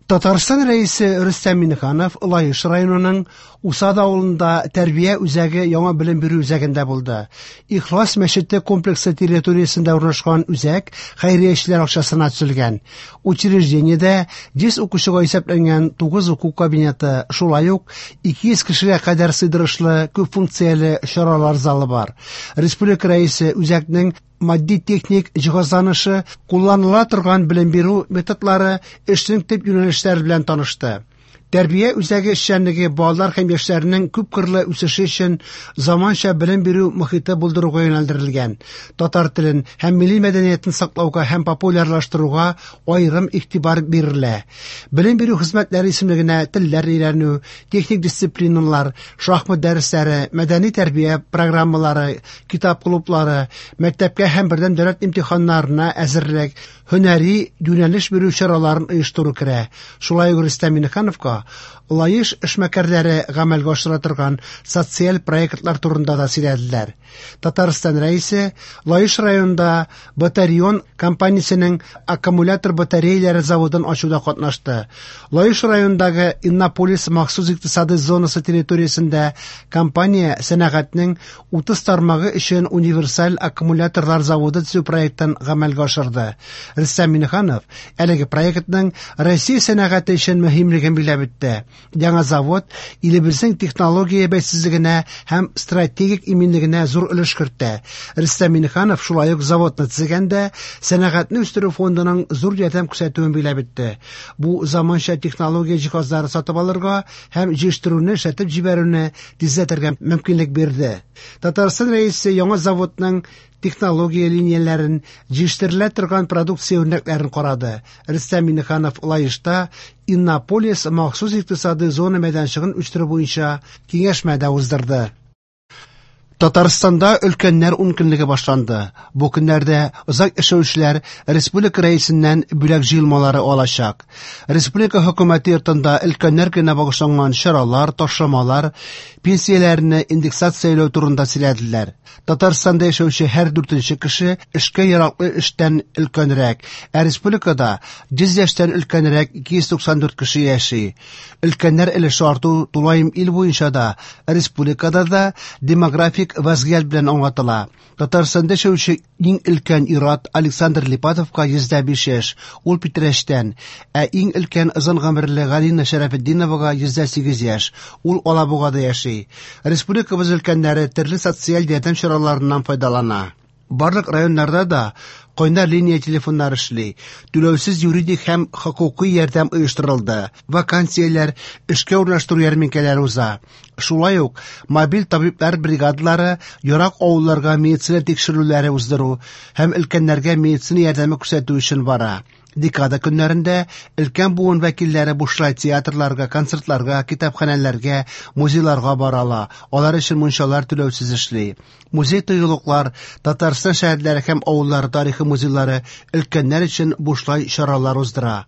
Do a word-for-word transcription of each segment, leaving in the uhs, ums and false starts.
Татарстан Рәисе Рөстәм Миңнеханов Лаеш районының Усад авылында тәрбия үзәге яңа белем бирү үзәгендә булды. Ихлас мәчете комплексы территориясендә урнашкан үзәк хәйриячеләр акчасына төзелгән. Учреждениедә йөз укучыга исәпләнгән тугыз уку кабинеты, шулай ук ике йөз кешегә кадәр сыйдырышлы күп функцияле чаралар залы бар. Республика Рәисе үзәкнең матди-техник җиһазланышы, кулланыла торган белем бирү методлары, эшнең төп юнәлешләре белән танышты. Тәрбия үзәге эшчәнлеге балалар һәм яшьләрнең күпкырлы үсеше өчен заманча белем бирү мохите булдыруга юнәлдерелгән. Татар телен һәм милли мәдәниятен саклауга һәм популярлаштыруга аерым игътибар бирелә. Белем бирү хезмәтләре исемлегенә телләр өйрәнү, техник дисциплиналар, шахмат дәресләре, мәдәни тәрбия программалары, китап клублары, мәктәпкә һәм бердәм дәүләт имтиханнарына әзерлек, һөнәри юнәлеш бирү чараларын оештыру керә. Шулай ук Рөстәм Миңнехановка Лаеш эшмәкәрләре гамәлгә ашыра торган социаль проектлар турында да сөйләделәр. Татарстан Рәисе Лаеш районында Батарион компаниясенең аккумулятор батареялары заводын ачуда катнашты. Лаеш районындагы Иннополис махсус икътисади зонасы территориясендә компания сәнәгатьнең утыз тармагы өчен универсаль аккумуляторлар заводы төзү проектын гамәлгә ашырды. Рөстәм Миңнеханов әлеге проектның Россия сәнәгате өчен мөһимлеген билгеләп үтте. Яңа завод илебезнең технология бәйсезлегенә һәм стратегик иминлегенә зур өлеш кертә. Рөстәм Миңнеханов шулай ук заводны төзегәндә сәнәгатьне үстерү фондының зур ярдәм күрсәтүен билгеләп үтте. Бу заманча технология җиһазлары сатып алырга һәм җыештыруны эшләтеп җибәрүне тизләтергә мөмкинлек бирде. Татарстан Рәисе яңа заводның технология линияләрен, җыештырыла торган продукция үрнәкләрен карады. Рөстәм Миңнеханов Лаешта Иннополис махсус икътисади зона мәйданчыгын үстерү буенча киңәшмә дә уздырды. Татарстанда өлкәннәр ункөнлеге башланды. Бу көннәрдә озак яшәүчеләр республика рәисеннән бүләк җыелмалары алачак. Республика хөкүмәте йортында өлкәннәр көненә багышланган чаралар, ташламалар, пенсияләрне индексацияләү турында сөйләделәр. Татарстанда яшәүче һәр дүртенче кеше эшкә яраклы эштән өлкәнрәк, ә республикада йөз яшьтән өлкәнрәк ике йөз туксан дүрт кеше яши. Өлкәннәр өлеше арту тулаем ил буенча да, республикада да демографик вазгыять белән аңлатыла. Татарстанда яшәүче иң өлкән ир-ат Александр Липатовка йөз дә биш яшь, ул Питрәчтән, ә иң өлкән озын гомерле Галина Шәрәфетдиновага йөз дә сигез яшь, ул Алабугада яши. Республикабыз өлкәннәре төрле социаль ярдәм чараларыннан файдалана. Барлык районнарда да кайнар линия телефоннары эшли, түләүсез юридик һәм хокукый ярдәм оештырылды, вакансияләр, эшкә урнаштыру ярминкәләре уза. Шулай ук мобиль табиблар бригадалары ерак авылларга медицина тикшерүләре уздыру һәм өлкәннәргә медицина ярдәме күрсәтү өчен бара. Декада көннәрендә өлкән буын вәкилләре бушлай театрларга, концертларга, китапханәләргә, музейларга бара ала. Алар өчен мунчалар түләүсез эшли. Музей тыюлыклар, Татарстан шәһәрләре һәм авыллары тарихы музейлары өлкәннәр өчен бушлай чаралар уздыра.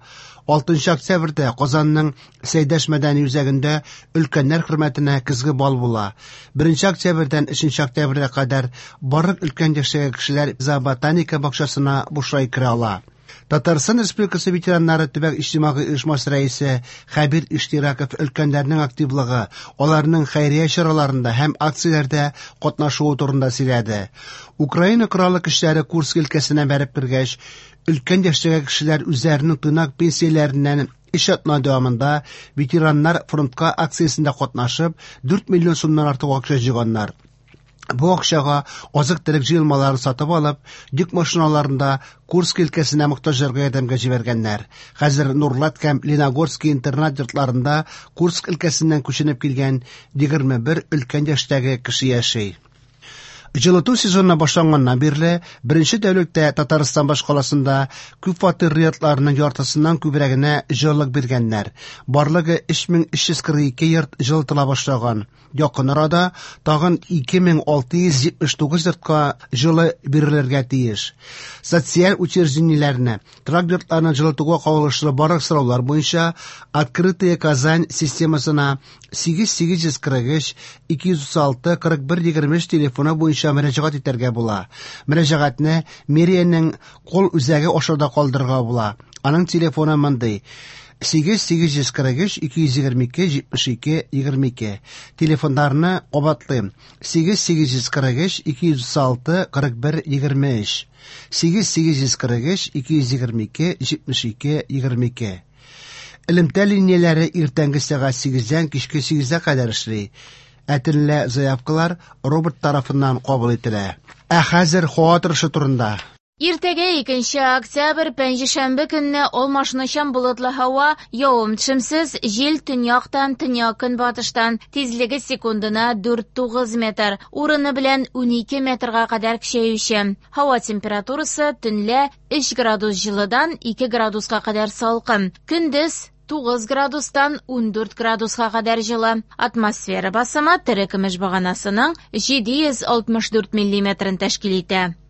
Алтынчы октябрьдә Казанның Сәйдәш мәдәни үзәгендә өлкәннәр хөрмәтенә көзге бал була. Беренче октябрьдән өченче октябрьгә кадәр барлык өлкән яшьтәге кешеләр зооботаника бакчасына бушлай керә ала. Татарстан Республикасы ветераннары төбәк иҗтимагый оешмасы рәисе Хәбир Иштираков өлкәннәрнең активлыгы, аларның хәйрия чараларында һәм акцияләрдә катнашуы турында сөйләде. Украина Кораллы көчләре Курск өлкәсенә бәреп кергәч, өлкән яшьтәге кешеләр үзләренең тыйнак пенсияләреннән өч атна дәвамында ветераннар фронтка акциясендә катнашып, дүрт миллион сумнан артык акча җыйганнар. Бу акчага азык-төлек җыелмаларын сатып алып, йөк машиналарында Курск өлкәсенә мохтаҗларга ярдәмгә җибәргәннәр. Хәзер Нурлат һәм Лениногорский интернат йортларында Курск өлкәсеннән күченеп килгән егерме бер өлкән яшьтәге кеше яши. Җылыту сезоны башланганнан бирле беренче тәүлектә Татарстан башкаласында күп фатирлы йортларның яртысыннан күбрәгенә җылылык биргәннәр. Барлыгы өч мең өч йөз кырык ике йорт җылытыла башлаган. Якын арада тагын ике мең алты йөз җитмеш тугыз йортка җылы бирелергә тиеш. Социаль учреждениеләрне, торак йортларны җылытуга кагылышлы барлык сораулар буенча Открытая Казань системасына сигез сигез йөз кырык өч, ике йөз утыз алты, кырык бер егерме өч телефоны буенча мөрәҗәгать итәргә була. Мөрәҗәгатьне мэриянең кол үзәге аша да калдырырга була. Аның телефоны мондый: Сигез сигез йөз кырык өч ике йөз егерме ике җитмеш ике егерме ике. Телефоннарны кабатлыйм: сигез сигез йөз кырык өч ике йөз утыз алты кырык бер егерме өч. Сигез сигез йөз кырык өч ике йөз егерме ике җитмеш ике егерме ике. Элемтә линияләре иртәнге сәгать сигездән кичке сигезгә кадәр эшли. Ә төнлә заявкалар робот тарафыннан кабул ителә. Ә хәзер һава торышы турында. Иртәгә икенче октябрь, пәнҗешәмбе көнне алмашынучан болытлы һава, явым-төшемсез, җил төньяктан, төньяк-көнбатыштан, тизлеге секундына дүрт тугыз метр, урыны белән унике метрга кадәр көчәюче. Һава температурасы төнлә өч градус җылыдан ике градуска кадәр салкын, көндез тугыз градустан ундүрт градуска кадәр җылы. Атмосфера басымы терекөмеш баганасының җиде йөз алтмыш дүрт миллиметрын тәшкил итә.